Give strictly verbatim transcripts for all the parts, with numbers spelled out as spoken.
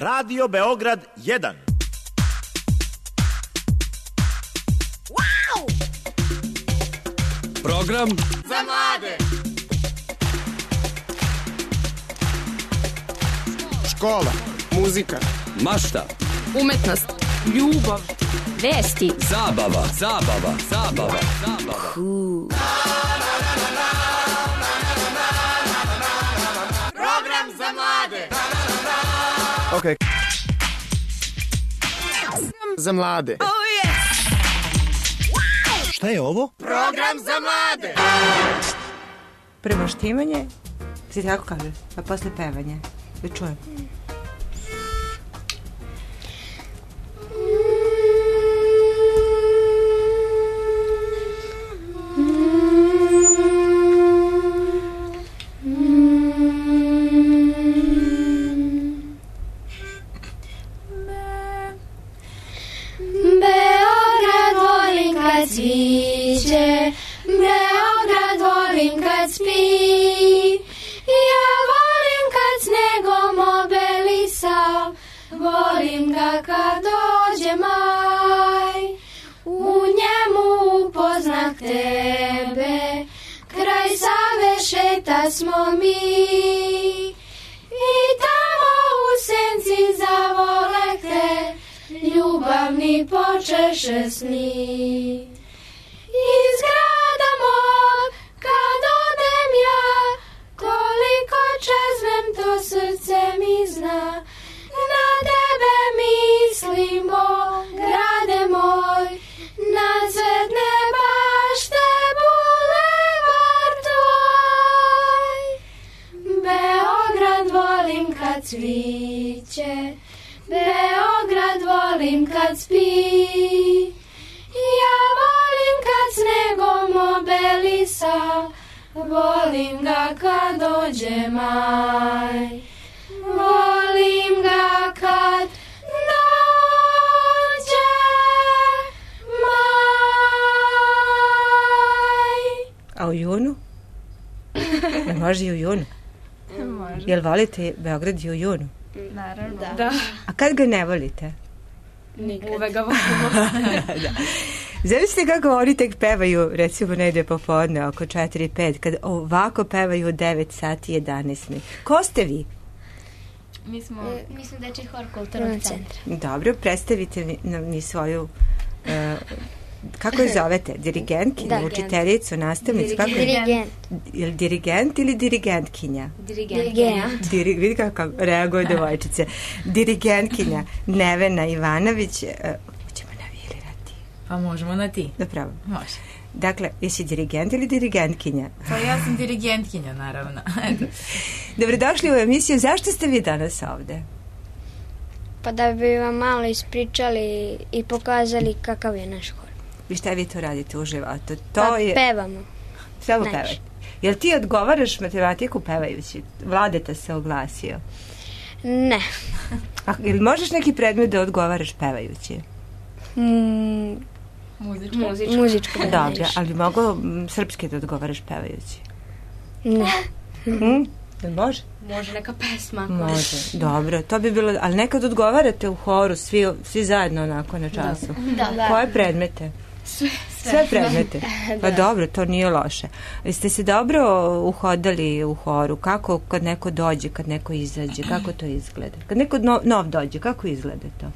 Radio Beograd jedan. Wow! Program za mlade. Škola, muzika, mašta, umetnost, ljubav, vesti, zabava, zabava, zabava, zabava. Cool. Program za mlade. Ok. Za mlade. Oh yes. Wow. Šta je ovo? Program za mlade. Premoštivanje, se tako kaže, a posle pevanje. Da čujem. Beograd volim kad cviće, Beograd volim kad spi, ja volim kad snegom obelisao, volim ga kad dođe maj, u njemu upoznah tebe, kraj Save šeta smo mi, i tamo u senci zavoleh te, ljubavni počeše sni. Iz grada mog, kad odem ja, koliko čeznem to srce mi zna. Na tebe mislimo, grade moj, na cvetne bašte bulevar tvoj. Beograd volim kad cviće, Beograd volim kad spi, ja volim kad snegom obelisa, volim ga kad dođe maj, volim ga kad dođe maj. A u junu? Jel može i u junu? Može. Jel volite Beograd i u junu? Naravno. Da. Da. A kad ga ne volite? Nikad. Uvek ga volimo. da, da. Zamislite kako oni tek pevaju, recimo negde popodne, oko četiri pet, kad ovako pevaju u devet sati jedanaest. Ko ste vi? Mi smo... E, mi smo dečji hor kulturnog centra. Dobro, predstavite mi, mi svoju... Uh, kako je zovete? Dirigentkinja, da, učiteljicu, nastavnicu? Kako je? Dirigent. Je li dirigent ili dirigentkinja? Dirigent. Diri, vidi kako reaguje devojčice. Dirigentkinja Nevena Ivanović. Uh, ćemo navilirati. Pa možemo na ti. Napravo. Može. Dakle, jesi dirigent ili dirigentkinja? Pa ja sam dirigentkinja, naravno. Dobrodošli u emisiju. Zašto ste vi danas ovde? Pa da bi vam malo ispričali i pokazali kakav je naš hor. I šta vi to radite u životu? To pa je... pevamo. Samo pevate. Jel ti odgovaraš matematiku pevajući? Vladeta se oglasio. Ne. A jel možeš neki predmet da odgovaraš pevajući? Mm, Muzičko. Muzičko. Muzičko da dobro, ali mogu srpski da odgovaraš pevajući? Ne. Hm? Jel može? Može neka pesma. Može, dobro. To bi bilo, ali nekad odgovarate u horu, svi, svi zajedno onako na času. Da, da. Koje predmete? Sve. Sve predmete? Pa dobro, to nije loše. Jeste se dobro uhodali u horu? Kako kad neko dođe, kad neko izađe? Kako to izgleda? Kad neko nov, nov dođe, kako izgleda to?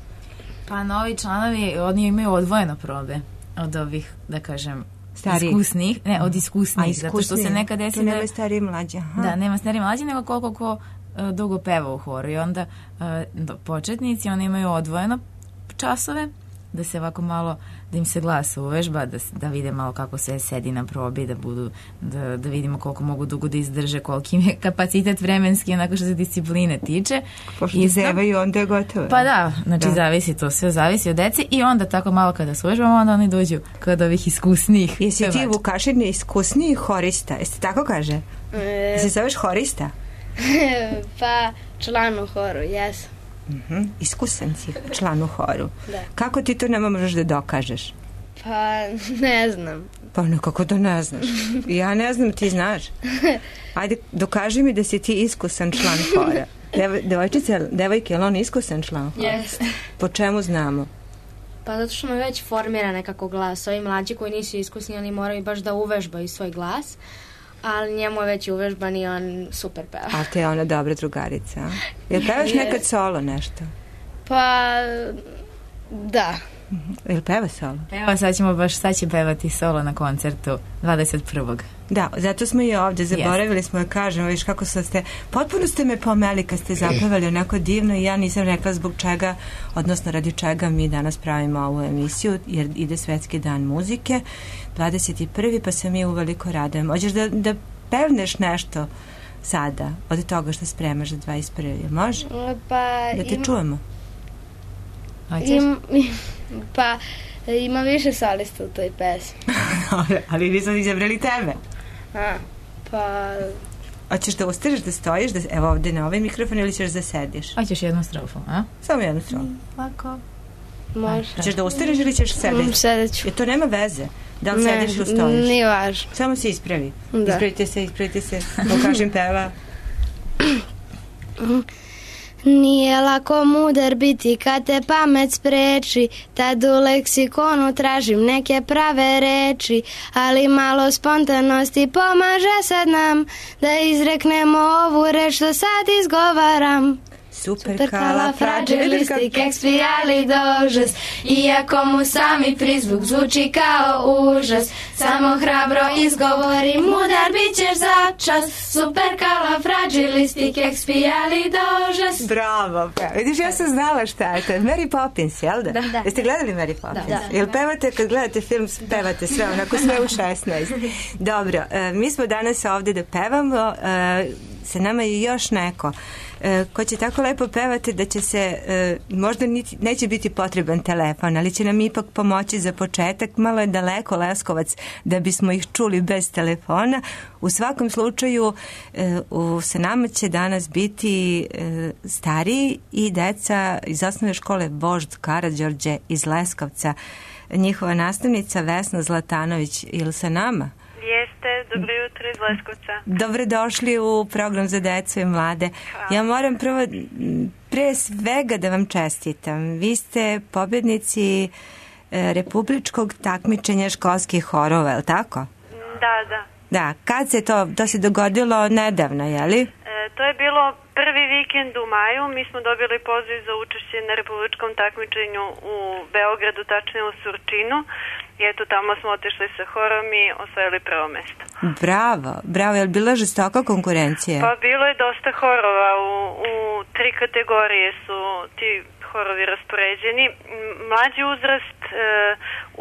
Pa novi članovi, oni imaju odvojeno probe od ovih, da kažem, Stariji. Iskusnih, ne, od iskusnih, A, iskusnih. zato što se nekad desi da... Tu nema stariji mlađi, aha. Da, nema stariji mlađi, nego koliko ko uh, dugo peva u horu i onda uh, početnici, oni imaju odvojeno časove, da se ovako malo, da im se glas uvežba, da, da vide malo kako se sedi na probi, da budu, da, da vidimo koliko mogu dugo da izdrže, koliki im je kapacitet vremenski, onako što se discipline tiče. Pošto Isto, zevaju, onda je gotovo. Pa da, znači da. Zavisi to, sve zavisi od dece i onda tako malo kada se uvežbamo, onda oni dođu kod ovih iskusnijih. Jesi ti Vukašin iskusniji horista? Jeste tako kaže? E... Jesi zoveš horista? Pa član u horu, jesam. Uh-huh. Iskusan si član u horu. Da. Kako ti to nema možeš da dokažeš? Pa ne znam. Pa nekako da ne znaš. Ja ne znam, ti znaš. Ajde, dokaži mi da si ti iskusan član hora. Dev, devojčice, devojke, je li on iskusan član? Jeste. Po čemu znamo? Pa zato što me već formira nekako glas. Ovi mlađi koji nisu iskusni, oni moraju baš da uvežbaju svoj glas, ali njemu je već uvežban i on super peva. A te je ona dobra drugarica, a? Jel pevaš nekad solo nešto? Pa, da. Jel peva solo? Evo, sad ćemo baš, sad će pevati solo na koncertu dvadeset prvog Da, zato smo i ovde, zaboravili smo da kažemo, viš kako ste, potpuno ste me pomeli kad ste zapevali onako divno i ja nisam rekla zbog čega, odnosno radi čega mi danas pravimo ovu emisiju, jer ide Svetski dan muzike, dvadeset prvi pa se mi uveliko radujemo. Hoćeš da, da pevneš nešto sada od toga što spremaš za dvadeset prvi Može? Pa, da te im, čujemo. Im, pa ima više solista u toj pesmi. Dobro, ali vi smo izabrali tebe. A, pa... Hoćeš da ustaneš, da stojiš, da, evo ovde na ovaj mikrofon ili ćeš da sediš? Hoćeš jednu strofu, a? Samo jednu strofu. Lako. Može. Hoćeš da ustaneš ili ćeš sedeti? Mm, sedeću. Jer to nema veze. Da li ne, sediš ili stojiš? Nije važno. Samo se ispravi. Da. Ispravite se, ispravite se. Pokažem peva. Nije lako mudar biti kad te pamet spreči, tad u leksikonu tražim neke prave reči, ali malo spontanosti pomaže sad nam da izreknemo ovu reč što sad izgovaram. Superkalafragilistikexpialidocious. Iako mu sami prizvuk zvuči kao užas, samo hrabro izgovori, mudar bit ćeš za čas. Superkalafragilistikexpialidocious. Bravo, pa. Vidiš, ja sam znala šta je to. Mary Poppins, jel da? Da, da. Jeste gledali Mary Poppins? Da, da. Jel pevate, kad gledate film, pevate sve, onako sve u šesnaest. Dobro, e, mi smo danas ovde da pevamo, e, sa nama je još neko e, ko će tako lepo pevati da će se, e, možda niti, neće biti potreban telefon, ali će nam ipak pomoći za početak. Malo je daleko Leskovac da bismo ih čuli bez telefona. U svakom slučaju e, u, sa nama će danas biti e, stariji i deca iz osnovne škole Vožd Karađorđe iz Leskovca. Njihova nastavnica Vesna Zlatanović, ili sa nama? Jeste, dobro jutro iz Leskovca. Dobrodošli u program za decu i mlade. Hvala. Ja moram prvo, pre svega da vam čestitam. Vi ste pobjednici e, republičkog takmičenja školskih horova, je li tako? Da, da. Da, kad se to, to se dogodilo nedavno, je li? E, to je bilo prvi vikend u maju. Mi smo dobili poziv za učešće na republičkom takmičenju u Beogradu, tačnije u Surčinu. I eto, tamo smo otišli sa horom i osvojili prvo mesto. Bravo, bravo. Je li bila žestoka konkurencija? Pa bilo je dosta horova. U, u tri kategorije su ti horovi raspoređeni. Mlađi uzrast, e,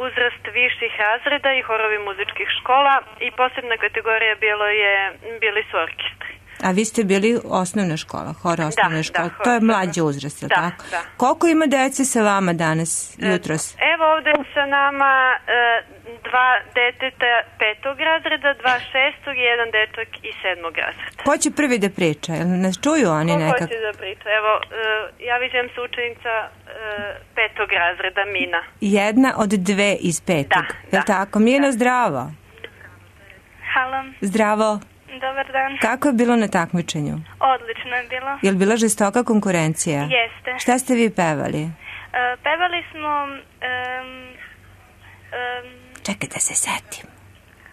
uzrast viših razreda i horovi muzičkih škola i posebna kategorija bilo je, bili su orkestri. A vi ste bili osnovna škola, hor osnovna da, škola. Da, to je mlađi uzrast, je li da, tako? Da. Koliko ima dece sa vama danas, jutros? Evo ovde sa nama e, dva deteta petog razreda, dva šestog i jedan dečak iz sedmog razreda. Ko će prvi da priča? Jel nas čuju oni Ko nekako? Ko hoće da priča? Evo, e, ja vidim se učenica e, petog razreda, Mina. Jedna od dve iz petog. Da, je li tako? Mina, da. Zdravo. Halo. Zdravo. Dobar dan. Kako je bilo na takmičenju? Odlično je bilo. Je li bila žestoka konkurencija? Jeste. Šta ste vi pevali? Uh, pevali smo... Um, um, čekaj da se setim.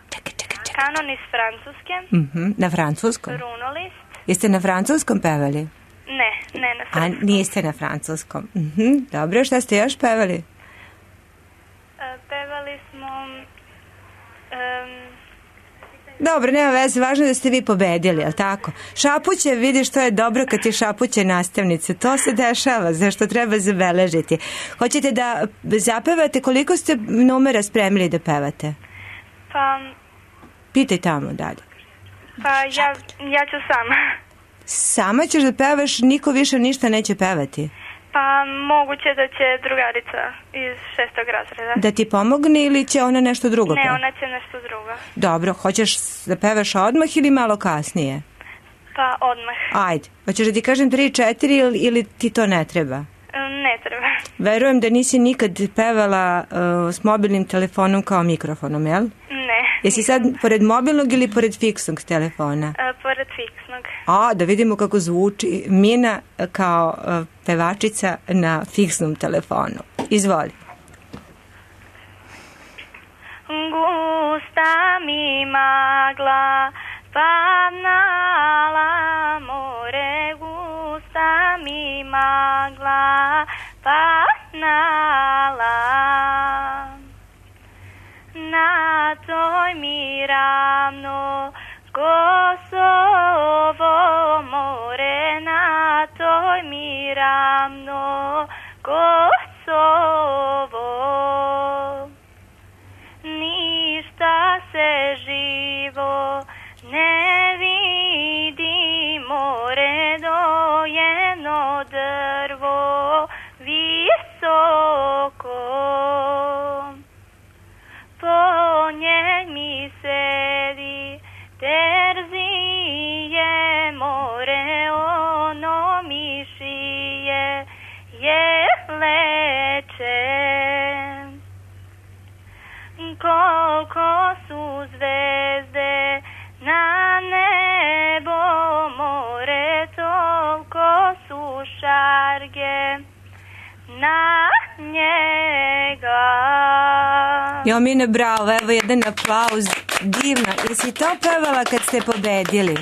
Čekaj, čekaj, čekaj. Kanon iz Francuske. Uh-huh. Na francuskom? Runolist. Jeste na francuskom pevali? Ne, ne na francuskom. A niste na francuskom. Uh-huh. Dobro, šta ste još pevali? Uh, pevali smo... Um, Dobro, nema veze, važno je da ste vi pobedili, jel tako? Šapuće, vidiš, to je dobro kad ti šapuće nastavnice. To se dešava, zašto treba zabeležiti. Hoćete da zapevate, koliko ste numera spremili da pevate? Pa... Pitaj tamo dalje. Pa ja, ja ću sama. Sama ćeš da pevaš, niko više ništa neće pevati? Pa moguće da će drugarica iz šestog razreda. Da ti pomogne ili će ona nešto drugo Ne, peva? ona će nešto drugo. Dobro, hoćeš da pevaš odmah ili malo kasnije? Pa odmah. Ajde, hoćeš da ti kažem tri, četiri ili, ili ti to ne treba? Ne treba. Verujem da nisi nikad pevala uh, s mobilnim telefonom kao mikrofonom, jel? Ne. Jesi sad pored mobilnog ili pored fiksnog telefona? A, pored fiksnog. A, da vidimo kako zvuči Mina kao uh, pevačica na fiksnom telefonu. Izvoli. Gusta mi magla, pavnala more, gusta mi magla, pavnala. Na toj mi ravno Kosovo more, na toj mi ravno Kosovo. Ništa se živo ne vidi, more dojeno drvo visoko. Po njej mi sedi terzije, more ono mi šije je leče. Koliko su zvezde na nebo more, toliko su šarge na njega. Jo, Mine, bravo, evo jedan aplauz, divno. Jesi to pevala kad ste pobedili?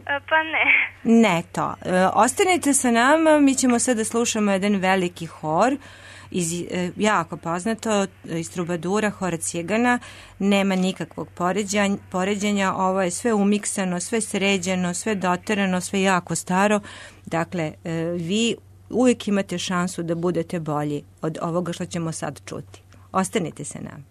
Pa ne. Ne to. E, ostanite sa nama, mi ćemo sad da slušamo jedan veliki hor, iz, e, jako poznato, iz Trubadura, hora Cigana. Nema nikakvog poređenja, poređenja, ovo je sve umiksano, sve sređeno, sve doterano, sve jako staro. Dakle, e, vi uvijek imate šansu da budete bolji od ovoga što ćemo sad čuti. Ostanite sa nama.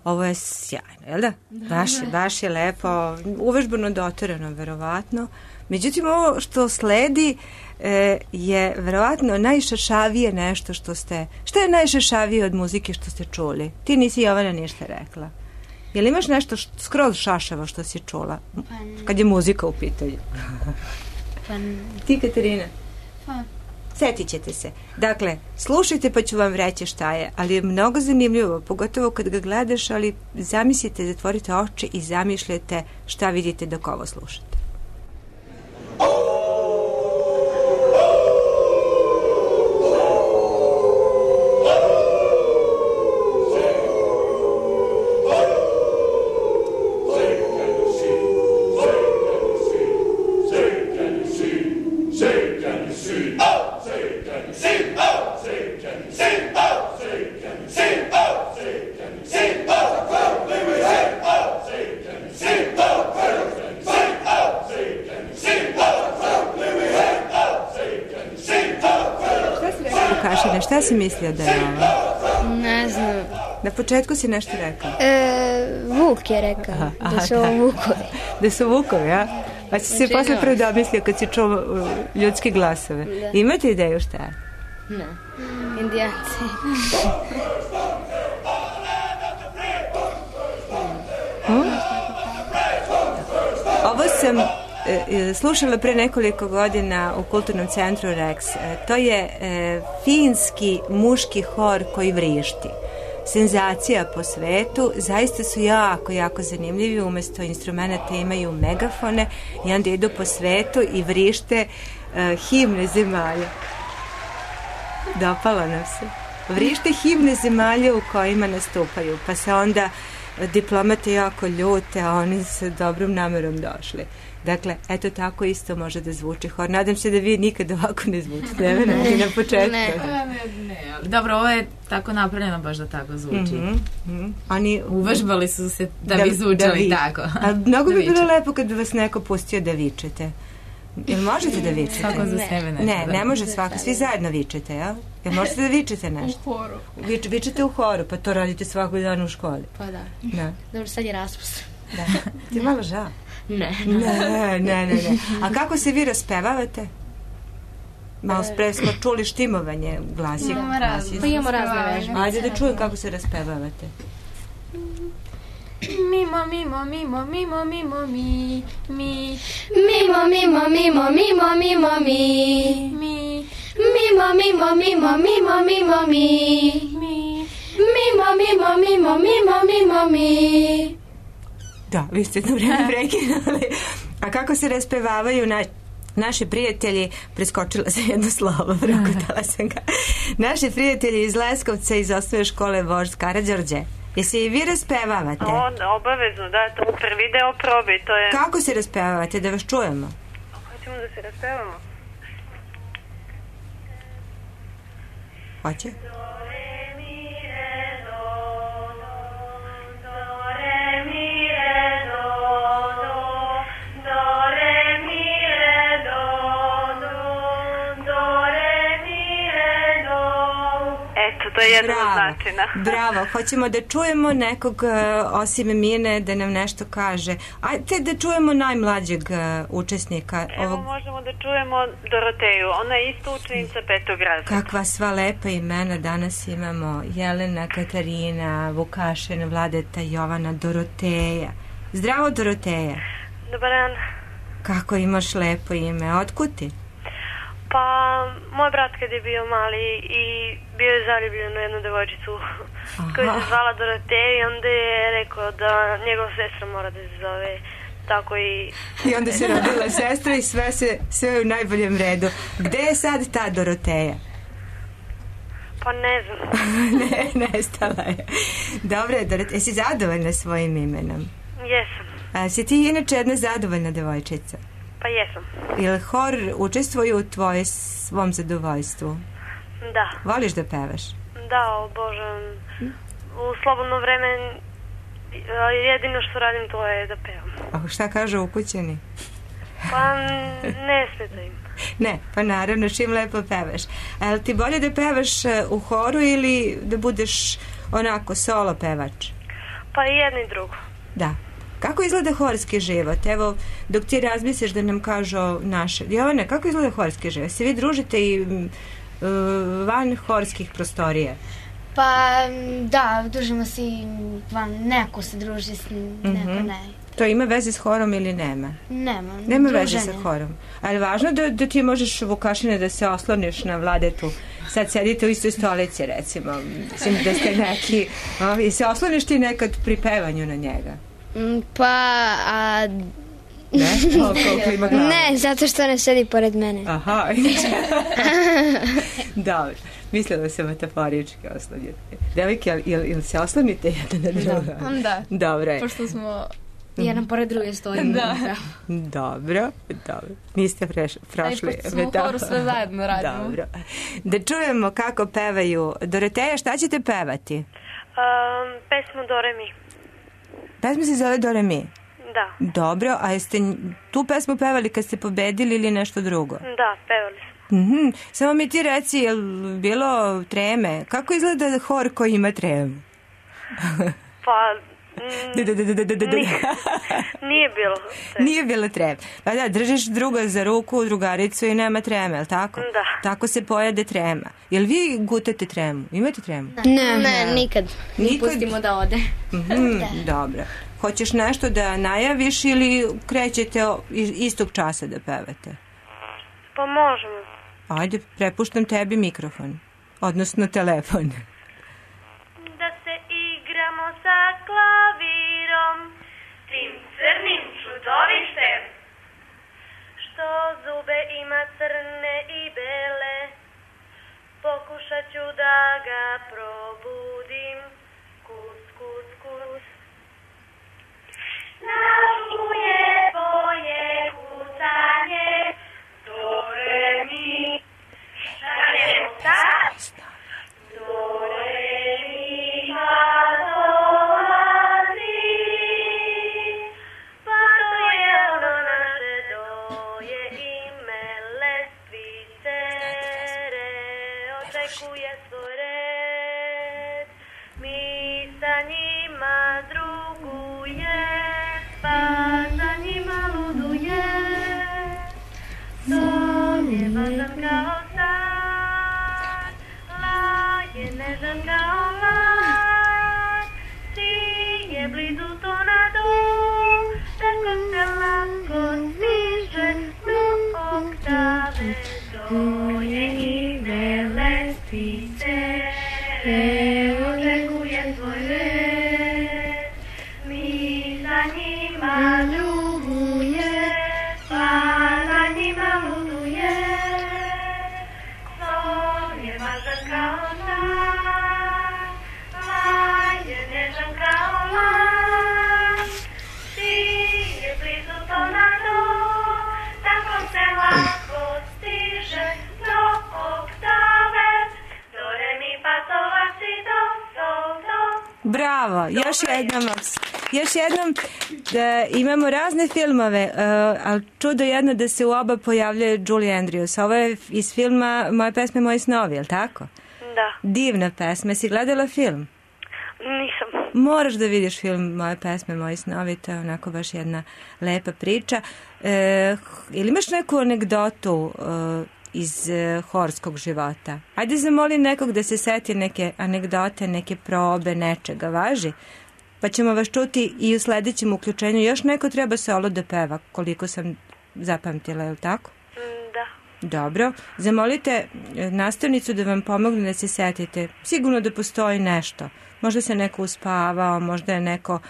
Ovo je sjajno, jel da? Baš je, baš je lepo, uvežbano doterano, verovatno. Međutim, ovo što sledi e, je verovatno najšašavije nešto što ste... Šta je najšašavije od muzike što ste čuli? Ti nisi, Jovana, ništa rekla. Jel imaš nešto što, skroz šašavo što si čula? Kad je muzika u pitanju. Pa, ti, Katarina? Pa, Setit ćete se. Dakle, slušajte pa ću vam reći šta je, ali je mnogo zanimljivo, pogotovo kad ga gledaš, ali zamislite, zatvorite oči i zamišljate šta vidite dok ovo slušate. Šta si mislio da je ovo? Ne znam. Na početku si nešto rekao. E, Vuk je rekao. Aha, aha, da su ovo vukovi. Da su vukovi, a? Pa si se posle prvo domislio kad si čuo uh, ljudske glasove. Da. Imate ideju šta je? Ne. Indijanci. hmm? Ovo sam slušala pre nekoliko godina u Kulturnom centru Rex. To je e, finski muški hor koji vrišti. Senzacija po svetu, zaista su jako, jako zanimljivi, umesto instrumenta imaju megafone i onda idu po svetu i vrište e, himne zemalja. Dopalo nam se. Vrište himne zemalja u kojima nastupaju, pa se onda diplomate jako ljute, a oni sa dobrom namerom došli. Dakle, eto tako isto može da zvuči hor. Nadam se da vi nikad ovako ne zvučite. Ne, ne, ne, na početku. Ne, ne, ne. Dobro, ovo je tako napravljeno baš da tako zvuči. Mm-hmm, mm-hmm. Oni uvežbali su se da, da bi zvučali da tako. A mnogo bi bilo lepo kad bi vas neko pustio da vičete. Jel možete da vičete? Svako za sebe nešto. Ne, ne može svako. Svi zajedno vičete, jel? Jel možete da vičete nešto? U horu. Vič, vičete u horu, pa to radite svakog dana u školi. Pa da. Da. Dobro, sad je raspust. Da. Ti malo žao. Ne. Ne, ne, ne, ne. A kako se vi raspevavate? Malo pre smo čuli štimovanje glasi. Imamo razne. Pa imamo razne vežbe. Ajde da čujem kako se raspevavate. Mimo, mimo, mimo, mimo, mimo, mi, mi. Mimo, mimo, mimo, mimo, mimo, mi. Mi. Mimo, mimo, mimo, mimo, mimo, mi. Mi. Mimo, mimo, mimo, mimo, mimo, mi. Da, vi ste jedno vreme prekinuli. A kako se raspevavaju na, naši prijatelji, preskočila sam jedno slovo, prokutala sam ga. Naši prijatelji iz Leskovca iz osnovne škole Vožd Karađorđe. Jesi i vi raspevavate? O, obavezno, da, to prvi deo probi, to je... Kako se raspevavate, da vas čujemo? Hoćemo da se raspevamo. Hoće? To je jedan od načina. Bravo, hoćemo da čujemo nekog uh, osim Mine da nam nešto kaže. Ajde da čujemo najmlađeg uh, učesnika. Evo ovog... možemo da čujemo Doroteju, ona je isto učenica petog razreda. Kakva sva lepa imena danas imamo. Jelena, Katarina, Vukašin, Vladeta, Jovana, Doroteja. Zdravo, Doroteja. Dobar dan. Kako imaš lepo ime, otkud ti? Pa, moj brat kad je bio mali i bio je zaljubljen u jednu devojčicu koja se zvala Doroteja i onda je rekao da njegova sestra mora da se zove tako i... I onda se rodila sestra i sve, se, sve je u najboljem redu. Gde je sad ta Doroteja? Pa ne znam. ne, nestala je. Dobre, Doroteja, jesi zadovoljna svojim imenom? Jesam. A si ti inače jedna zadovoljna devojčica? Pa jesam. Jel hor učestvuje u tvoje svom zadovoljstvu? Da. Voliš da pevaš? Da, obožavam. U slobodno vreme jedino što radim to je da pevam. A šta kažu ukućani? Pa ne smeta im. Ne, pa naravno čim lepo pevaš. A je li ti bolje da pevaš u horu ili da budeš onako solo pevač? Pa i jedno i drugo. Da. Kako izgleda horski život? Evo, dok ti razmisliš da nam kažu naše... Jovane, kako izgleda horski život? Se vi družite i uh, van horskih prostorija? Pa, da, družimo se i van, neko se druži s neko, mm-hmm. ne. To ima veze s horom ili nema? Nema. Nema veze sa horom. Ali je važno da, da ti možeš, Vukašine, da se osloniš na Vladetu. Sad sedite u istoj stolici, recimo. Mislim da ste neki... O, i se osloniš ti nekad pri pevanju na njega? Pa, a... Ne? O, koliko ima glava? Ne, zato što ne sedi pored mene. Aha. Dobro. Mislila se metaforički osloniti. Devojke, ili, ili se oslonite jedan na drugo? Da. Onda. Dobro je. Pošto smo... Jedan pored druge stojimo. Da. Dobro, dobro. Niste preš, prošli. Aj, pošto smo u horu sve zajedno radimo. Dobro. Da čujemo kako pevaju. Doroteja, šta ćete pevati? Um, pesmu Do Re Mi. Pesma se zove Do Re Mi? Da. Dobro, a jeste tu pesmu pevali kad ste pobedili ili nešto drugo? Da, pevali smo. Mm-hmm. Samo mi ti reci, je li bilo treme? Kako izgleda hor koji ima tremu? Pa... Mm, da, da, da, da, da, da. Nije, nije bilo treme. Nije bilo treme. Pa da, držiš druga za ruku, drugaricu i nema treme, je li tako? Da. Tako se pojede trema. Jel vi gutate tremu? Imate tremu? Ne, ne, nikad. Nikad? Pustimo da ode. Mm-hmm, dobro. Hoćeš nešto da najaviš ili krećete istog časa da pevate? Pa možemo. Ajde, prepuštam tebi mikrofon. Odnosno telefon. Da se igramo sa klavirom, tim crnim čudovištem, što zube ima crne i bele, pokušat ću da ga probudim, kus, kus, kus. Načuje tvoje kucanje, do re mi, šaljemo sad, do re mi, ma dolazi, pa to je ono naše doje ime lestvice, re, očekuje svoj red, mi sa njima druguje, pa za njima luduje, son je važan kao san, la je nežan kao mlad, si je blizu to na do, tako se lako stiže do oktave, to je ime lestvice, re, očekuje svoj red, mi za njima ljubuje, pa za njima luduje, son je važan kao san, la je nežan kao lan, si je blizu to na do, tako se lako stiže do oktave, do re mi pa so la si do, sol, do. Bravo, još jednom, još jednom da imamo razne filmove, uh, ali čudo jedno da se u oba pojavljuje Julie Andrews. Ovo je iz filma Moje pesme, moji snovi, je li tako? Da. Divna pesma. Si gledala film? Nisam. Moraš da vidiš film Moje pesme, moji snovi, to je onako baš jedna lepa priča. E, ili imaš neku anegdotu e, iz e, horskog života? Ajde zamoli nekog da se seti neke anegdote, neke probe, nečega, važi? Pa ćemo vas čuti i u sledećem uključenju. Još neko treba solo da peva, koliko sam zapamtila, je li tako? Da. Dobro. Zamolite nastavnicu da vam pomogne da se setite. Sigurno da postoji nešto. Možda se neko uspavao, možda je neko...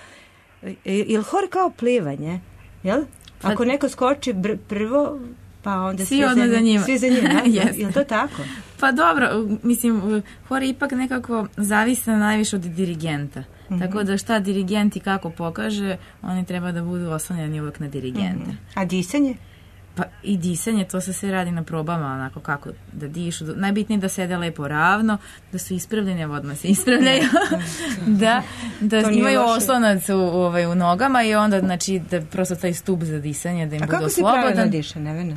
Je li hor kao plivanje? Jel? Ako neko skoči br- prvo, pa onda svi, svi za, za njima. Svi za njima, yes. Je li to tako? Pa dobro, mislim, hor ipak nekako zavisi najviše od dirigenta. Mm-hmm. Tako da šta dirigent i kako pokaže, oni treba da budu oslonjeni uvek na dirigenta. Mm-hmm. A disanje? Pa i disanje, to se sve radi na probama, onako kako da dišu. Najbitnije da sede lepo ravno, da su ispravljeni, evo odmah se ispravljaju, da, da imaju oslonac u, ovaj, u nogama i onda, znači, da prosto taj stup za disanje, da im A bude kako slobodan. si pravilno diše, Nevena?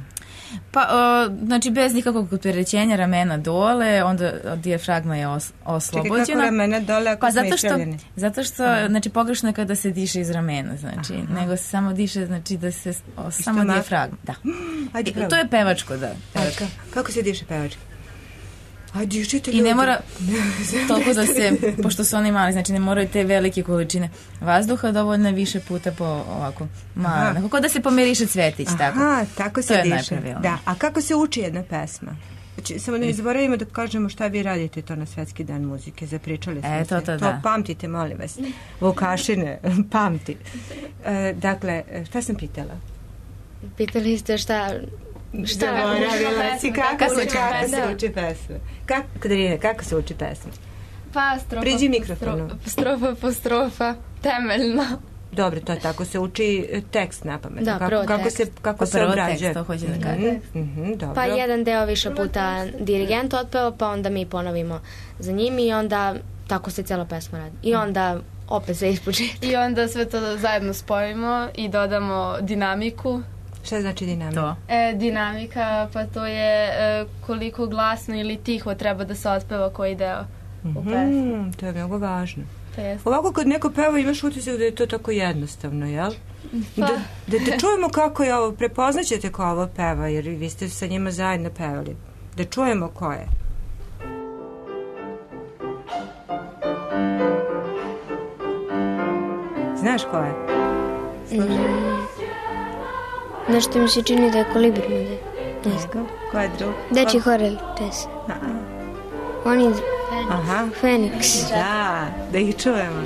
Pa, o, znači, bez nikakvog opterećenja ramena dole, onda dijafragma je os, oslobođena. Čekaj, kako ramena dole ako pa, smo zato što, ispravljeni? zato što, Aha. znači, pogrešno je kada se diše iz ramena, znači, Aha. nego se samo diše, znači, da se, o, samo dijafragma, da. Ajde, to je pevačko, da. Pevačka. Kako se diše pevački? I ne mora toliko da se, pošto su oni mali, znači ne moraju te velike količine vazduha, dovoljno je više puta po ovako malo. Nekako da se pomiriše cvetić, tako. Aha, tako se to diše. Da. A kako se uči jedna pesma? Znači, samo ne zaboravimo da kažemo šta vi radite to na Svetski dan muzike. Zapričali smo e, to, se. To, to pamtite, molim vas. Vukašine, pamti. E, dakle, šta sam pitala? Pitali ste šta... Šta zaboravila si? Kako se uči pesma? Kako, Katarina, kako se uči pesma? Pa, strofa, priđi mikrofonu. Strofa po strofa, temeljno. Dobro, to je tako se uči tekst na pamet. Da, kako, kako se, kako se obrađuje. To hoće da kaže. Mm-hmm, dobro. Pa jedan deo više puta dirigent otpeva, pa onda mi ponovimo za njim i onda tako se cijela pesma radi. I onda opet sve ispočetka. I onda sve to zajedno spojimo i dodamo dinamiku. Šta znači dinamika? To. E, dinamika, pa to je e, koliko glasno ili tiho treba da se otpeva koji deo mm-hmm, u pesmi. To je mnogo važno. To ovako kad neko peva imaš utisak da je to tako jednostavno, jel? Pa. Da, da, da čujemo kako je ovo, prepoznaćete ko ovo peva, jer vi ste sa njima zajedno pevali. Da čujemo ko je. Znaš ko je? Mm. Nešto mi se čini da je Kolibri mode. Ne znam. Ko je drug? Dečji horel, tes. Oni Aha. Feniks. Da, da ih čujemo.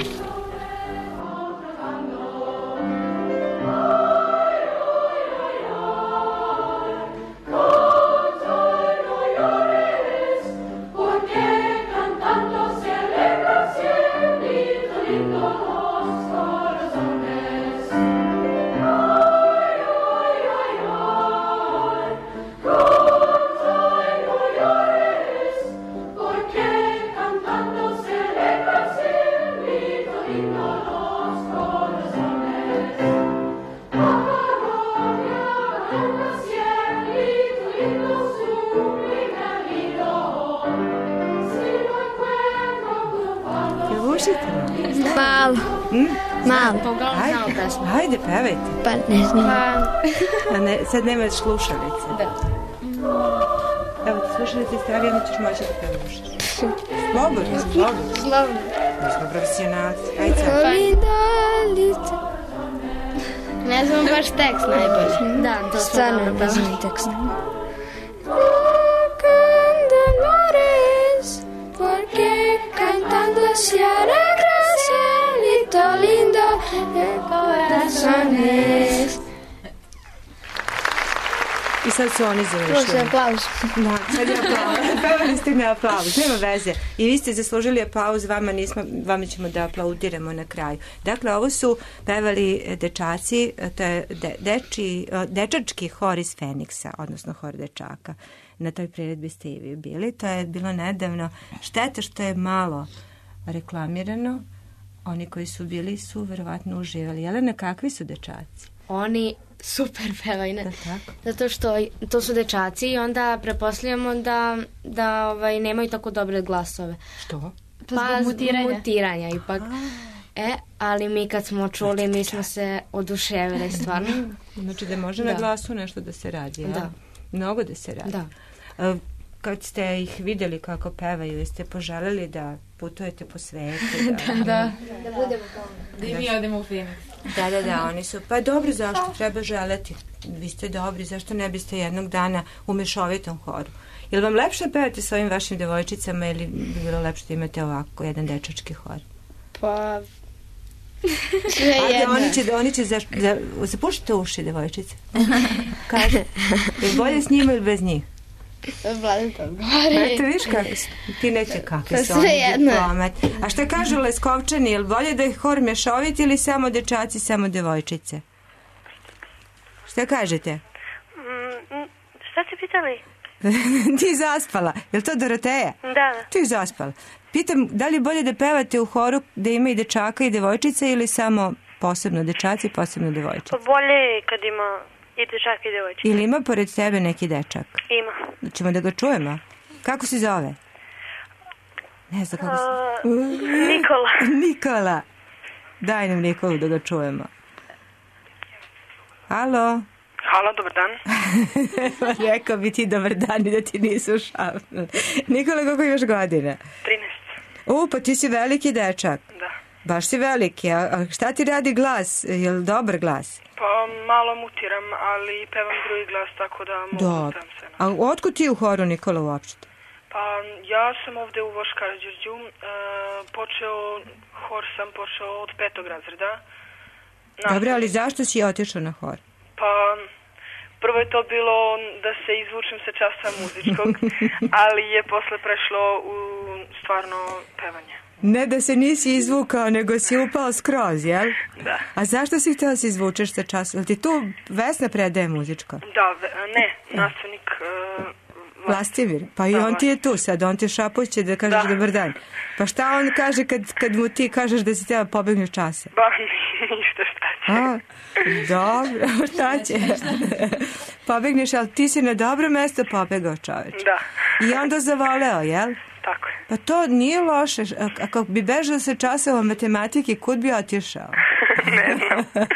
Malo. Hmm? Malo. Ajde, ajde, pevajte. Pa ne znam. A ne, sad nemaš slušalice. Da. Evo ti slušalice stavi, onda ćeš moći da pevaš. Slobodno, slobodno. Slobodno. Mi smo profesionalci. Ajde sad. Ne znam baš tekst najbolje. Da, to stvarno ne znam tekst. Porque cantando se hará cielito lindo de corazones. I sad su oni završili. Slušaj, aplauz. Da, sad je aplauz. Pevali ste mi aplauz, nema veze. I vi ste zaslužili aplauz, vama nismo, vama ćemo da aplaudiramo na kraju. Dakle, ovo su pevali dečaci, to je de, deči, dečački hor iz Feniksa, odnosno hor dečaka. Na toj priredbi ste i vi bili. To je bilo nedavno. Šteta što je malo reklamirano. Oni koji su bili su verovatno uživali. Jelena, kakvi su dečaci? Oni super pevaju. Da, tako. Zato što to su dečaci i onda prepostavljamo da, da ovaj, nemaju tako dobre glasove. Što? Pa zbog mutiranja. mutiranja ipak. E, ali mi kad smo čuli, mi smo se oduševili stvarno. Znači da može da. na glasu nešto da se radi, ja? Da. Mnogo da se radi. Da. Kad ste ih vidjeli kako pevaju, jeste poželjeli da putujete po svetu? Da, da. Da, da budemo tamo. Da i mi odemo u Phoenix. Da, da, da, oni su. Pa dobro, zašto treba želeti? Vi ste dobri, zašto ne biste jednog dana u mešovitom horu? Je li vam lepše pevati s ovim vašim devojčicama ili bi bilo lepše da imate ovako jedan dečački hor? Pa... Sve jedno. Oni će, oni će za, za, zapušite uši, devojčice. Kaže, je bolje s njima ili bez njih? Vladan to odgovori. Eto, viš kako su, ti neće kakve su oni diplomat. A šta kažu Leskovčani, je li bolje da je hor mješovit ili samo dečaci, samo devojčice? Šta kažete? Mm, šta ste pitali? Ti zaspala. Je li to Doroteja? Da. Ti zaspala. Pitam, da li je bolje da pevate u horu da ima i dečaka i devojčice ili samo posebno dečaci i posebno devojčice? Pa bolje kad ima i dečak i devojčice. Ili ima pored tebe neki dečak? Ima. Ćemo da ga čujemo? Kako se zove? Ne znam kako se... Uh, Nikola. Nikola. Daj nam Nikolu da ga čujemo. Halo? Halo, dobar dan. Rekao bi ti dobar dan i da ti nisu šapnuli. Nikola, koliko imaš godina? trinaest. U, pa ti si veliki dečak. Da. Baš si veliki. A, a šta ti radi glas? Je li dobar glas? Pa malo mutiram, ali pevam drugi glas, tako da mogu da pevam sve. A otkud ti u horu, Nikola, uopšte? Pa ja sam ovde u Voš Karađorđu. E, počeo, hor sam počeo od petog razreda. Dobro, ali zašto si otišao na hor? Pa prvo je to bilo da se izvučem sa časa muzičkog, ali je posle prešlo u stvarno pevanje. Ne da se nisi izvukao, nego si upao skroz, jel? Da. A zašto si htjela se izvučeš sa časa? Jel ti tu Vesna predaje muzičko? Da, ne, nastavnik uh, Vlastimir, pa i on ti je tu sad, on ti šapuće da kažeš da. Dobar dan. Pa šta on kaže kad, kad mu ti kažeš da si htjela pobegneš časa? Ba, ništa, šta će. A, dobro, šta će? Pobegneš, ali ti si na dobro mesto pobegao, čoveč. Da. I onda zavoleo, jel? Tako je. Pa to nije loše. Ako bi bežao sa časova matematike, kud bi otišao? Ne znam.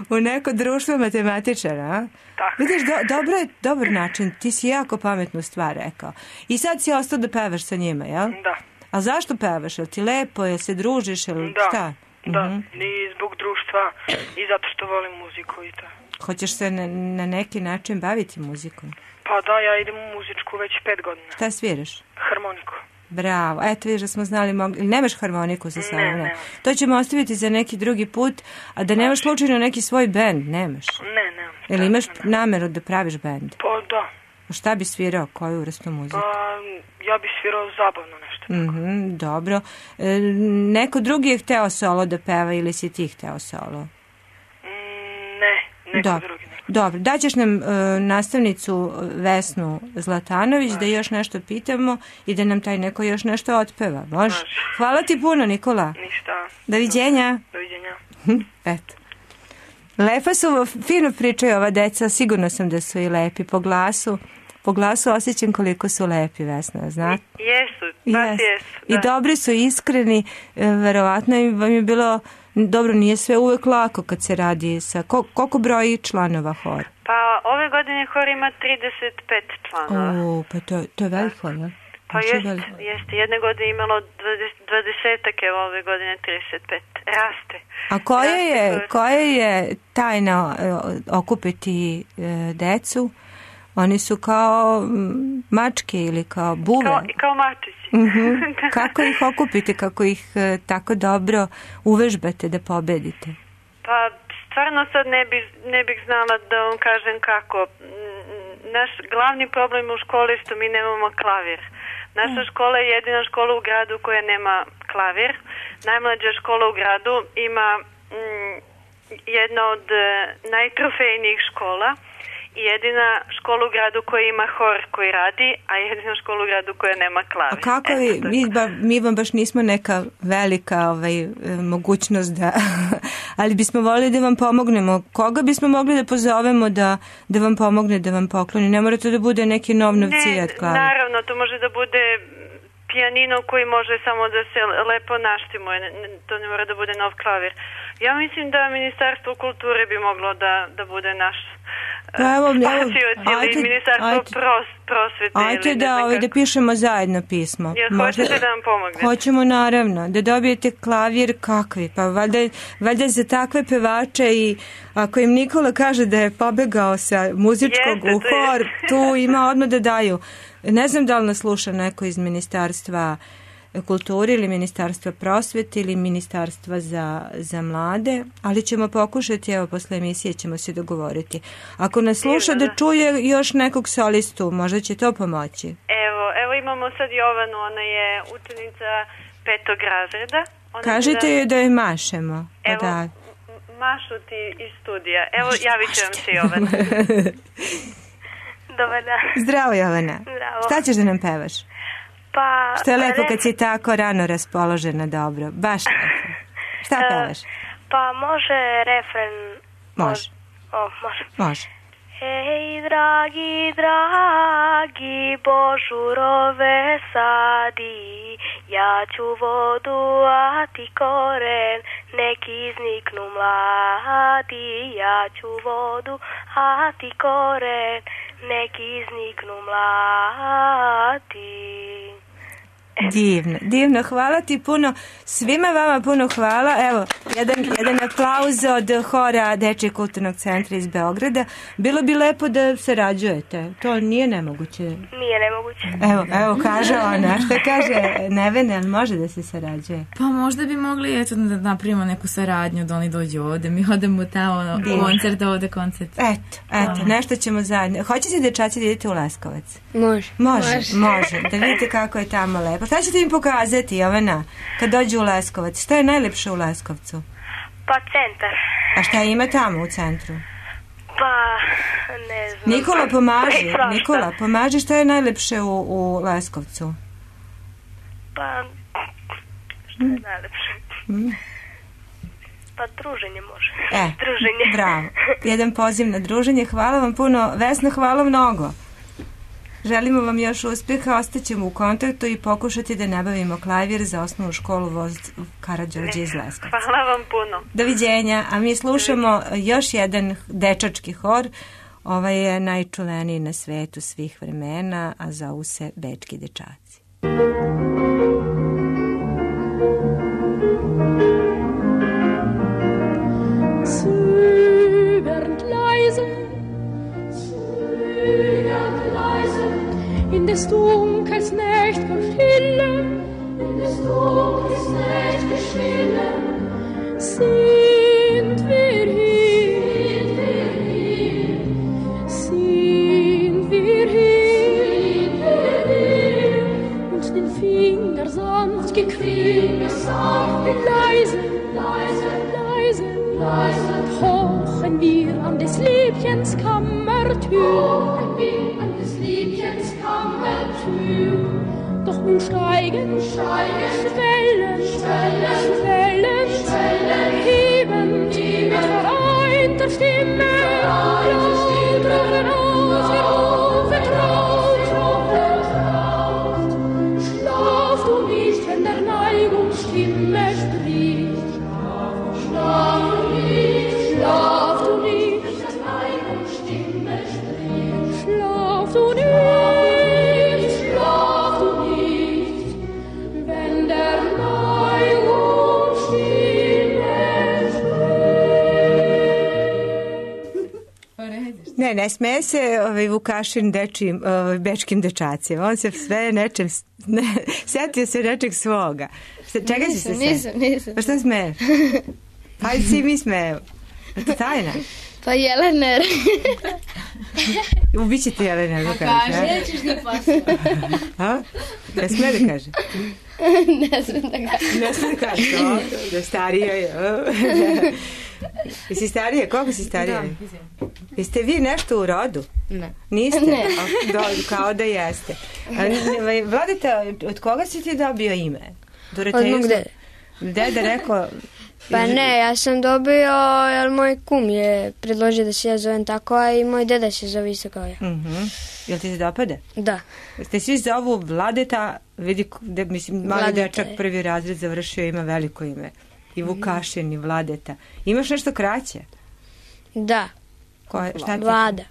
U neko društvo matematičara, a? Tako. Vidiš, do, dobro je, dobar način. Ti si jako pametnu stvar rekao. I sad si ostao da pevaš sa njima, jel? Da. A zašto pevaš? Jel ti lepo? Jel se družiš? Jel da. šta? Da, uh-huh. I zbog društva i zato što volim muziku i to. Hoćeš se na, na neki način baviti muzikom? Pa da, ja idem u muzičku već pet godina. Šta sviraš? Harmoniku. Bravo, eto vidiš da smo znali, mogli... nemaš harmoniku sa sobom? Ne, ne. To ćemo ostaviti za neki drugi put, a da nemaš slučajno neki svoj bend, nemaš? Ne, nemam. Ili imaš nameru da praviš bend? Pa da. Šta bi svirao, koju vrstu muzike? Pa ja bi svirao zabavno nešto. Mm-hmm, dobro. E, neko drugi je hteo solo da peva ili si ti hteo solo? Mm, ne, neko dobro. drugi. Neko. Dobro, daćeš nam e, nastavnicu Vesnu Zlatanović da još nešto pitamo i da nam taj neko još nešto otpeva. Može? Hvala ti puno, Nikola. Ništa. Doviđenja. Doviđenja. Eto. Lepa su, fino pričaju ova deca, sigurno sam da su i lepi po glasu. Po glasu osjećam koliko su lepi, Vesna, znate? Jesu, baš yes. jesu. Da. I dobri su, iskreni, verovatno vam je bilo, dobro, nije sve uvek lako kad se radi sa, koliko broji članova hor? Pa ove godine hor ima trideset pet članova. O, pa to, to je velik hor, ne? Pa jest, jeste, jedne godine imalo dvadesetak, evo ove godine trideset pet. Raste. A koja je, koja je tajna okupiti decu? Oni su kao mačke ili kao buve? Kao, kao mačići. Uh-huh. Kako ih okupite, kako ih tako dobro uvežbate da pobedite? Pa stvarno sad ne, bi, ne bih znala da vam kažem kako. Naš glavni problem u školi je što mi nemamo klavir. Naša škola je jedina škola u gradu koja nema klavir. Najmlađa škola u gradu ima mm, jedna od najtrofejnijih škola i jedina škola u gradu koja ima hor koji radi, a jedina škola u gradu koja nema klavir. A kako vi, mi, ba, mi vam baš nismo neka velika ovaj, mogućnost da, ali bismo volili da vam pomognemo. Koga bismo mogli da pozovemo da, da vam pomogne, da vam pokloni? Ne mora to da bude neki nov novcijat klavir. Ne, naravno, to može da bude pijanino koji može samo da se lepo naštimuje, to ne mora da bude nov klavir. Ja mislim da Ministarstvo kulture bi moglo da, da bude naš pa evo, spasioc ili Ministarstvo ajte, pros, prosvete. Ajte ili da, ovaj, da pišemo zajedno pismo. Jel možda, hoćete da vam pomognete? Hoćemo naravno, da dobijete klavir kakvi, pa valjda, valjda za takve pevače i ako im Nikola kaže da je pobegao sa muzičkog Jeste, u hor, tu ima odmah da daju. Ne znam da li nas sluša neko iz Ministarstva kulture ili Ministarstva prosvete ili Ministarstva za, za mlade, ali ćemo pokušati, evo posle emisije ćemo se dogovoriti. Ako nas sluša da čuje još nekog solistu, možda će to pomoći. Evo, evo imamo sad Jovanu, ona je učenica petog razreda. Ona Kažite da... joj da joj mašemo. Evo, da. mašu ti iz studija. Evo, javit ću vam se Jovana. Dobar dan. Zdravo, Jovana. Zdravo. Šta ćeš da nam pevaš? Pa... Što je lepo kad si tako rano raspoložena, dobro. Baš lepo. Šta pevaš? Pa može refren... Može. O, može. Može. Hej, dragi, dragi, božurove sadi, ja ću vodu, a ti koren, nek izniknu mladi. Ja ću vodu, mlati koren, neki izniknu mlati. Divno, divno, hvala ti puno, svima vama puno hvala, evo, jedan, jedan aplauz od hora Dečijeg kulturnog centra iz Beograda, bilo bi lepo da sarađujete, to nije nemoguće. Nije nemoguće. Evo, evo, kaže ona, što kaže Nevene, ali može da se sarađuje? Pa možda bi mogli, eto, da napravimo neku saradnju, da oni dođu ovde, mi odemo tamo, divno. Koncert, ovde koncert. Eto, eto, nešto ćemo zajedno. Hoćete dečaci da idete u Leskovac? Može. Može, može, može, da vidite kako je tamo lepo. Šta ćete im pokazati, Jovana, kad dođu u Leskovac? Šta je najlepše u Leskovcu? Pa centar. A šta ima tamo u centru? Pa, ne znam. Nikola, pomaži, Nikola, pomaži, šta je najlepše u, u Leskovcu? Pa, šta je najlepše? Mm. Pa druženje može. E, druženje. Bravo. Jedan poziv na druženje. Hvala vam puno. Vesna, hvala mnogo. Želimo vam još uspjeha, ostaćemo u kontaktu i pokušati da nabavimo klavir za osnovnu školu Voz Karađorđe iz Leskovca. Hvala vam puno. Doviđenja, a mi slušamo još jedan dečački hor. Ovaj je najčuveniji na svetu svih vremena, a zovu se Bečki dečaci. Zögernd leise, zögernd leise, in des Dunkels nächt'ger Stille, in des Dunkels nächt'ger Stille, sind wir hier, sind wir hier, sind wir hier, und den Finger sanft gequält, sanft leise, leise, leise, leise, pochen wir an des Liebchens Kammertür, pochen wir an des Liebchens Kammertür. Doch nun steigen, steigen, schwellen, schwellen, schwellen, schwellen, heben, heben, mit vereinter Stimme, vereinter Stimme, heraus, herauf, vertraut, vertraut. Schlaf du nicht, wenn der Neigung Stimme spricht, schlaf du nicht, schlaf du nicht, wenn der Neigung Stimme spricht, schlaf du nicht. Ne, ne smeje se ovaj Vukašin dečim, ovaj, bečkim dečacima. On se sve nečem, ne, setio se nečeg svoga. Čega si se sve? Nisam, nisam. Pa šta smeješ? Hajde si mi smeju. Je to tajna? Pa Jelener. Ubiće ti Jelener, da kažeš. A kaže, nećeš da pasuje. A? Ne smije da kaže? Ne smije da kaže. Ne smije da kaže, o, da starija je. Jesi starije? Koliko si starije? Da. Jeste vi nešto u rodu? Ne. Niste? Ne. O, do, kao da jeste. Vladeta, od koga si ti dobio ime? Od mog dede. Dede rekao... Pa ne, ja sam dobio, jer moj kum je predložio da se ja zovem tako, a i moj deda se zove isto kao ja. Uh-huh. Jel ti se dopade? Da. Ste svi zovu Vladeta, vidi, de, mislim, mali Vladeta dečak je. Prvi razred završio, ima veliko ime. I Vukašin, i Vladeta. Imaš nešto kraće? Da. Koje, šta ti? Vlada.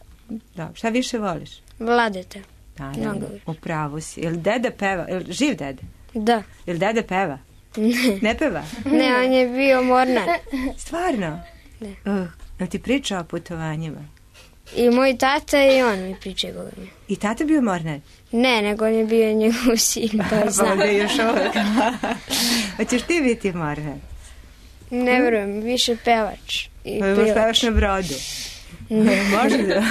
Da. Šta više voliš? Vladeta. Naravno, upravo si. Jel deda peva? Jel živ dede? Da. Jel dede peva? Ne. Ne peva? Ne, on je bio mornar. Stvarno? Ne. Uh, jel ti priča o putovanjima? I moj tata i on mi priča govorio. I tata bio mornar? Ne, nego on je bio njegov sin, to znam. Pa još uvijek. Hoćeš ti biti mornar? Ne verujem, više pevač. I pa možeš pevaš na brodu? Ne. Može da?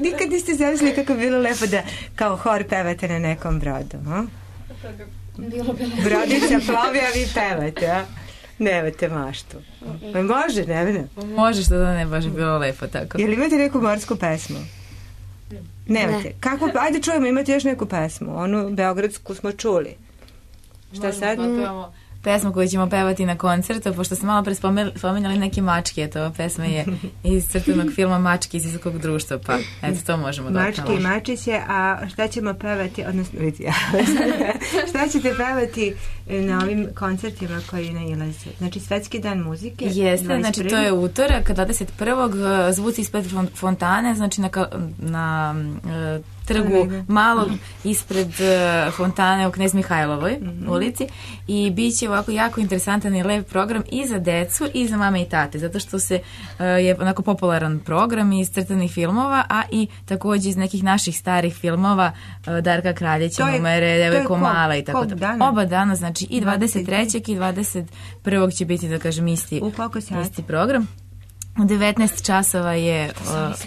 Nikad niste zamislili kako bilo lepo da kao hor pevate na nekom brodu, a? Bilo, bilo. Brodica plovi, a vi pevate, a? Nemate maštu. Može, Nevena? Može, što da ne, baš je bilo lepo tako. Jel imate neku morsku pesmu? Nemate. Ne. Kako, ajde čujemo, imate još neku pesmu. Onu beogradsku smo čuli. Šta možemo sad? Potpevamo pesmu koju ćemo pevati na koncertu, pošto ste malo pre spomenjali neke mačke, to pesma je iz crtanog filma Mačke iz visokog društva, pa eto, to možemo da Mačke i mačiće, a šta ćemo pevati, odnosno, vidi, šta ćete pevati na ovim koncertima koji nailaze? Znači, Svetski dan muzike? Jeste, znači, to je utorak, dvadeset prvog zvuci ispred fontane, znači na, na uh, trgu malog ispred uh, fontane u Knez Mihajlovoj mm-hmm. ulici i bit će ovako jako interesantan i lep program i za decu i za mame i tate, zato što se uh, je onako popularan program iz crtanih filmova, a i također iz nekih naših starih filmova uh, Darka Kraljića, Numere, Devojko Mala i tako da. Oba dana, znači i dvadeset trećeg i dvadeset prvog će biti, da kažem, isti, isti program. U devetnaest časova je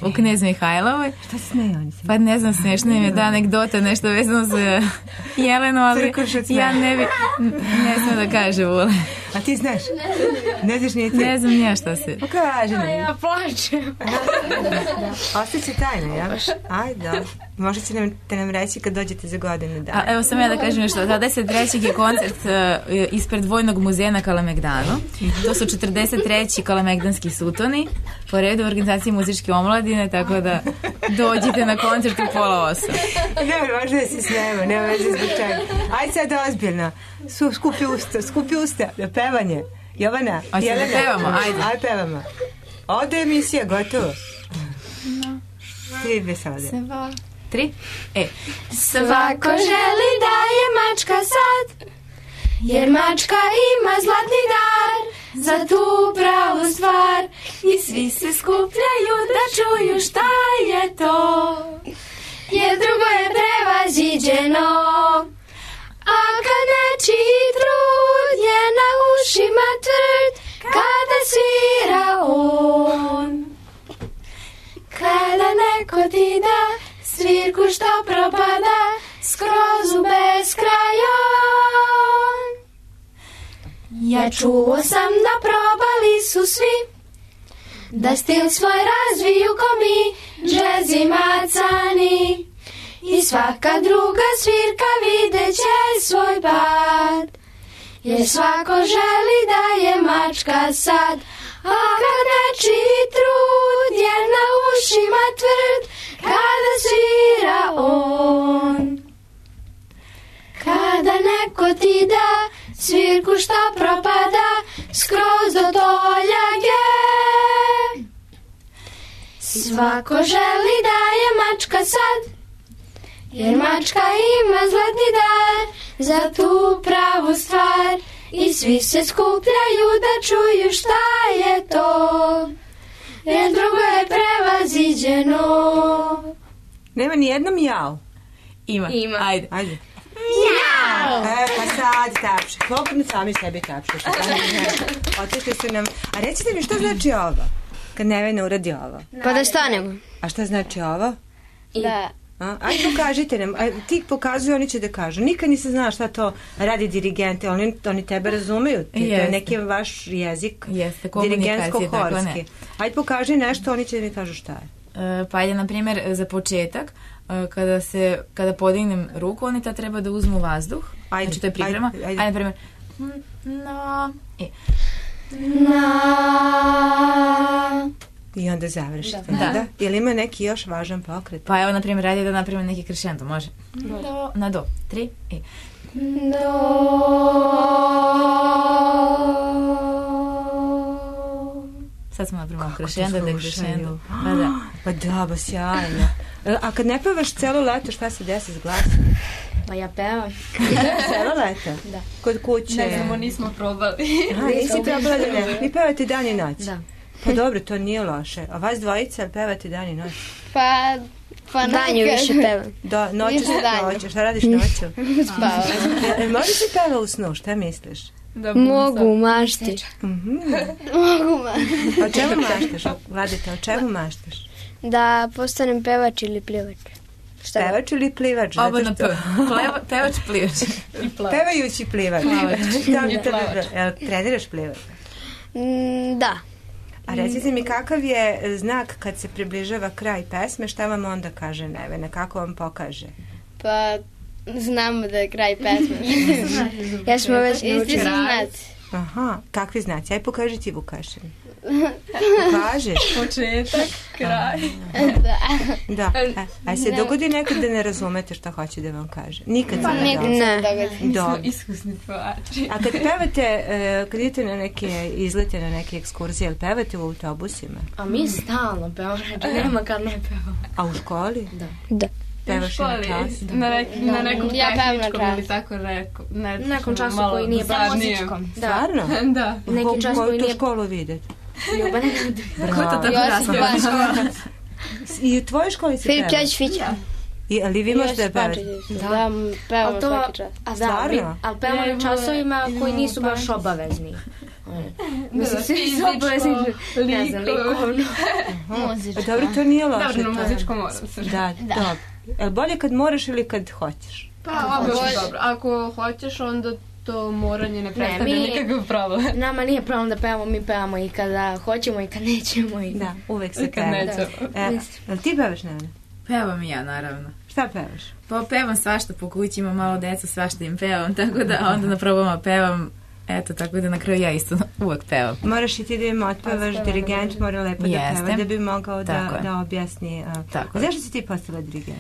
o, u Knez Mihajlovoj. Šta se smeje oni? Pa ne znam, smiješno im je da anegdota, nešto vezano za Jelenu, ali ja ne bi, ne znam da kažem, Vule. A ti znaš? Ne znaš nije ti? Ne znam nija šta se. Pa kaži nam. Ja plačem. Ostaće tajna, ja? Ajde, da. Možda će nam, te nam reći kad dođete za godinu dana. A, evo sam ja da kažem nešto. dvadeset trećeg je koncert uh, ispred Vojnog muzeja na Kalemegdanu. To su četrdeset treći kalemegdanski sutoni po redu u organizaciji muzičke omladine, tako da dođite na koncert u pola osam. Ne, možda da se snema, nema veze zbog čega. Ajde sad ozbiljno. Su, skupi usta, skupi usta, da pevanje. Jovana, Jelena. Da pevamo, ajde. Ajde pevamo. Ovdje je emisija, gotovo. No. Tri dve sada. Sva. Tri. E. Svako želi da je mačka sad, jer mačka ima zlatni dar za tu pravu stvar i svi se skupljaju da čuju šta je to, jer drugo je prevaziđeno. A kad nečiji trud je na ušima tvrd, kada svira on, kada neko ti da svirku što propada skroz u beskrajon. Ja čuo sam da probali su svi da stil svoj razviju ko mi, džez i macani, i svaka druga svirka videće svoj pad, jer svako želi da je mačka sad. A kad nečiji trud je na ušima tvrd, kada svira on, kada neko ti da svirku šta propada skroz do toljage. Svako želi da je mačka sad, jer mačka ima zlatni dar za tu pravu stvar i svi se skupljaju da čuju šta je to, jer drugo je prevaziđeno. Nema ni jednom jao. Ima. Ima. Ajde. Ajde. Jao! E, pa sad tapše. Slobodno sami sebi tapše. Otišli su nam. A recite mi što znači ovo? Kad Nevena uradi ovo. Pa da stanemo. A šta znači ovo? Da. A, ajde pokažite nam. A, ti pokazuju, oni će da kažu. Nikad nisam znala šta to radi dirigente. Oni, oni tebe razumeju. Ti, to je neki vaš jezik. Jeste, dirigentsko-horski. Ajde pokaži nešto, oni će da mi kažu šta je. E, pa ajde, na primjer, za početak, e, kada se, kada podignem ruku, oni ta treba da uzmu vazduh. Ajde, znači to je priprema. Ajde, ajde. Ajde na primjer, na, e. Na. I onda završite. Da. Da. Da. Ili ima neki još važan pokret? Pa evo, na primjer, radi da napravim neki krešendo, može? Do. Na do. Tri. I. Do. Sad smo napravili krešendo, da je krešendo. Pa da. Pa da, ba sjajno. A kad ne pevaš celo leto, šta se desi s glasom? Pa ja pevam. Celo leto? Da. Kod kuće? Ne znamo, nismo probali. Aha, nisi probala da ne. Vi pevate dan i noć? Da. Pa dobro, to nije loše. A vas dvojica pevate dan i noć? Pa, pa danju više pevam. Da, noću se noću. Šta radiš noću? Spavam. Može si peva u snu, šta misliš? Da, mogu mašti. Mm-hmm. Mogu mašti. O čemu maštaš? Vladite, o čemu maštaš? Da postanem pevač ili plivač. Šta pevač ili plivač? Oba na to. Pevač, plivač. Pevajući plivač. Plavač. Jel treniraš plivač? Mm, da. A recite mi, kakav je znak kad se približava kraj pesme, šta vam onda kaže Nevena, kako vam pokaže? Pa Znamo da je kraj pesme. Ja smo već naučili znaci. Aha, kakvi znaci? Aj pokaži ti, Vukašin. Pokažeš? Početak, kraj. Da. Da. A, a se dogodi nekad da ne razumete šta hoće da vam kaže? Nikad pa, se ne dogodi. Ne. Dobro. Iskusni pevači. A kad pevate, kad idete na neke izlete, na neke ekskurzije, ili pevate u autobusima? A mi stalno pevamo, nema kad ne pevamo. A u školi? Da. Da. Pevaš na času? Na, nek, da. na nekom ja tehničkom ili tako reko. Ne, nekom času koji nije baš muzičkom. Stvarno? Da. Neki čas koji nije... Koju tu školu vidite? Ljubane. Ko to tako raspravlja? I u tvojoj školi se peva? Filip Ćoć Fića. I, ali vi možete da pevate? Da, pevamo svaki čas. A stvarno? Ali pevamo na časovima koji nisu baš obavezni. Mislim, svi su obavezni. Ne znam, likovno. Dobro, to nije loše. Dobro, na muzičko moram se. Da, dobro. Je bolje kad moraš ili kad hoćeš? Pa, obično dobro. Ako hoćeš, onda to moranje ne predstavlja nikakav problem. Nama nije problem da pevamo, mi pevamo i kada hoćemo i kad nećemo. I... Da, uvek se peva. E, ali ti pevaš, Nevena? Pevam i ja, naravno. Šta pevaš? Pa pevam svašta po kući, imam malo deca, svašta im pevam, tako da onda na probama pevam. Eto, tako da na kraju ja isto uvek pevam. Moraš i ti da im otpevaš, dirigent mora lepo da Jeste. peva, da bi mogao da, da objasni. A, tako zašto si ti postala dirigent?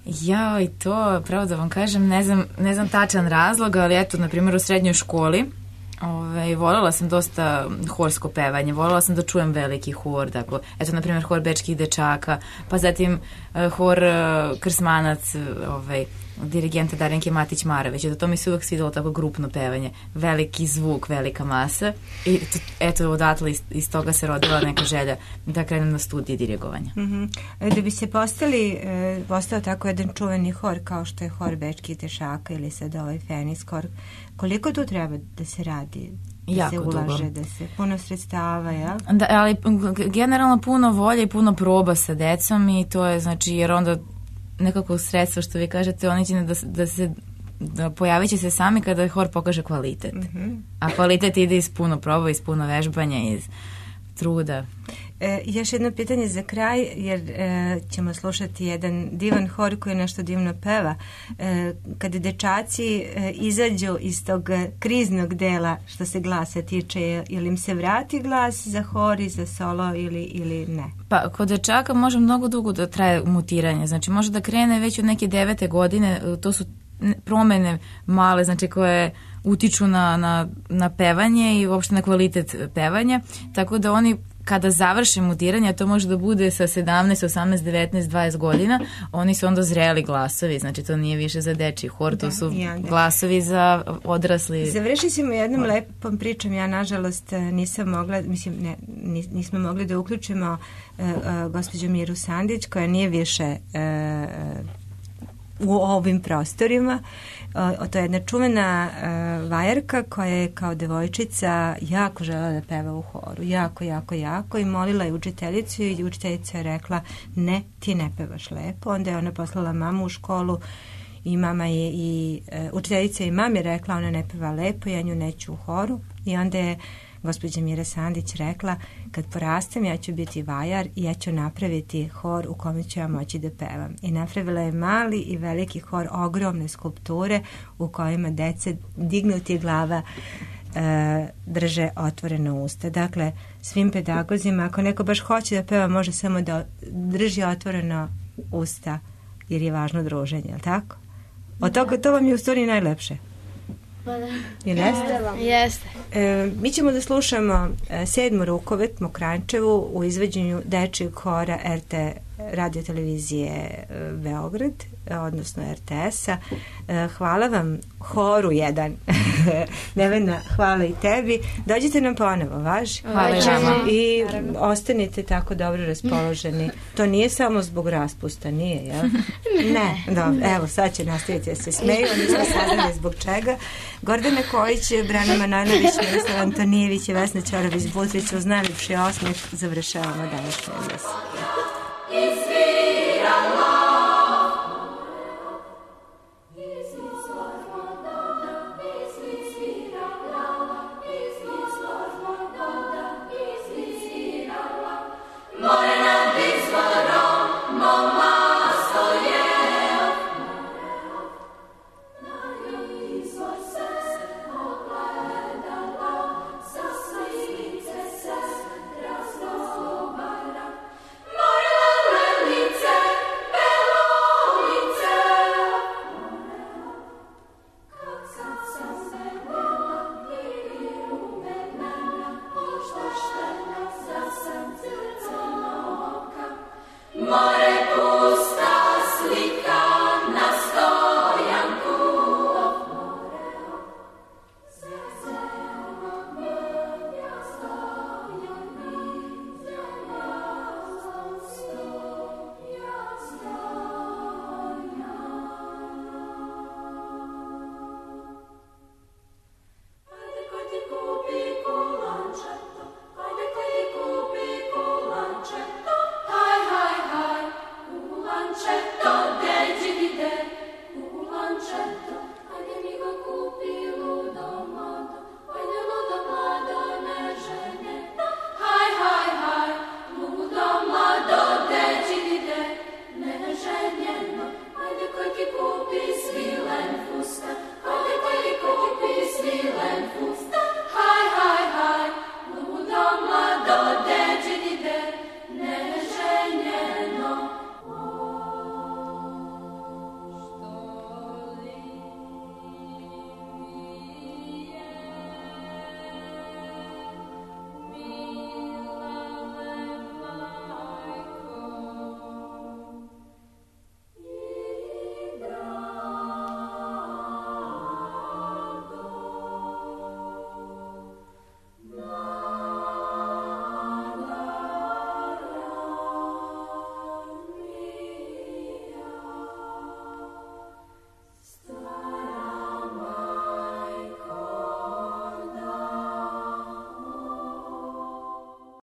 Ja i to, pravo da vam kažem, ne znam, ne znam tačan razlog, ali eto, na primjer u srednjoj školi Ove, voljela sam dosta horsko pevanje, voljela sam da čujem veliki hor, dakle, eto, na primjer, hor Bečkih dečaka, pa zatim uh, hor uh, Krsmanac, ovaj, dirigenta Darenke Matić-Marović, da to mi se uvek svidelo tako grupno pevanje, veliki zvuk, velika masa i to, eto, odatle iz, iz toga se rodila neka želja da krenem na studije dirigovanja. Mm-hmm. Da bi se postali, e, postao tako jedan čuveni hor kao što je hor Bečkih dečaka ili sad ovaj Feniks hor, koliko tu treba da se radi? Da jako se ulaže, dugo. Da se puno sredstava, jel? Da, ali generalno puno volje i puno proba sa decom i to je, znači, jer onda nekako sredstvo što vi kažete, oni će da, da se da pojavit će se sami kada hor pokaže kvalitet. Mm-hmm. A kvalitet ide iz puno proba, iz puno vežbanja, iz truda. E, još jedno pitanje za kraj, jer e, ćemo slušati jedan divan hor koji nešto divno peva. E, kada dečaci e, izađu iz tog kriznog dela što se glasa tiče, ili im se vrati glas za hor i za solo ili, ili ne? Pa kod dečaka može mnogo dugo da traje mutiranje, znači može da krene već od neke devete godine, to su promene male, znači koje utiču na, na, na pevanje i uopšte na kvalitet pevanja, tako da oni kada završe mutiranje, to može da bude sa sedamnaest, osamnaest, devetnaest, dvadeset godina, oni su onda zreli glasovi, znači to nije više za dečiji hor, to su glasovi za odrasli. Završit ćemo jednom lepom pričom, ja nažalost nisam mogla, mislim, ne, nismo mogli da uključimo uh, uh, gospođu Miru Sandić, koja nije više uh, u ovim prostorima. O, to je jedna čuvena uh, vajarka koja je kao devojčica jako žela da peva u horu. Jako, jako, jako. I molila je učiteljicu i učiteljica je rekla ne, ti ne pevaš lepo. Onda je ona poslala mamu u školu i mama je i uh, učiteljica i mami rekla ona ne peva lepo, ja nju neću u horu. I onda je gospođa Mira Sandić rekla kad porastem ja ću biti vajar i ja ću napraviti hor u kome ću ja moći da pevam. I napravila je mali i veliki hor, ogromne skulpture u kojima dece dignuti glava e, drže otvorena usta. Dakle, svim pedagozima, ako neko baš hoće da peva, može samo da drži otvoreno usta jer je važno druženje, je li tako? Od toga to vam je u stvari najlepše. Ili jeste? Jeste. E, mi ćemo da slušamo e, sedmu rukovet Mokrančevu u izvođenju dečijeg hora R T radio televizije e, Beograd, e, odnosno R T S-a. E, hvala vam horu jedan. Nevena, hvala i tebi. Dođite nam ponovo, važi? Hvala vam. I ostanite tako dobro raspoloženi. To nije samo zbog raspusta, nije, jel? Ne, dobro. Evo, sad će nastaviti da se smeju. Nismo saznali zbog čega. Gordana Kojić, Brana Manojlović, Miroslav Antonijević i Vesna Ćorović-Butrić uz najljepši osmeh završavamo današnju emisiju.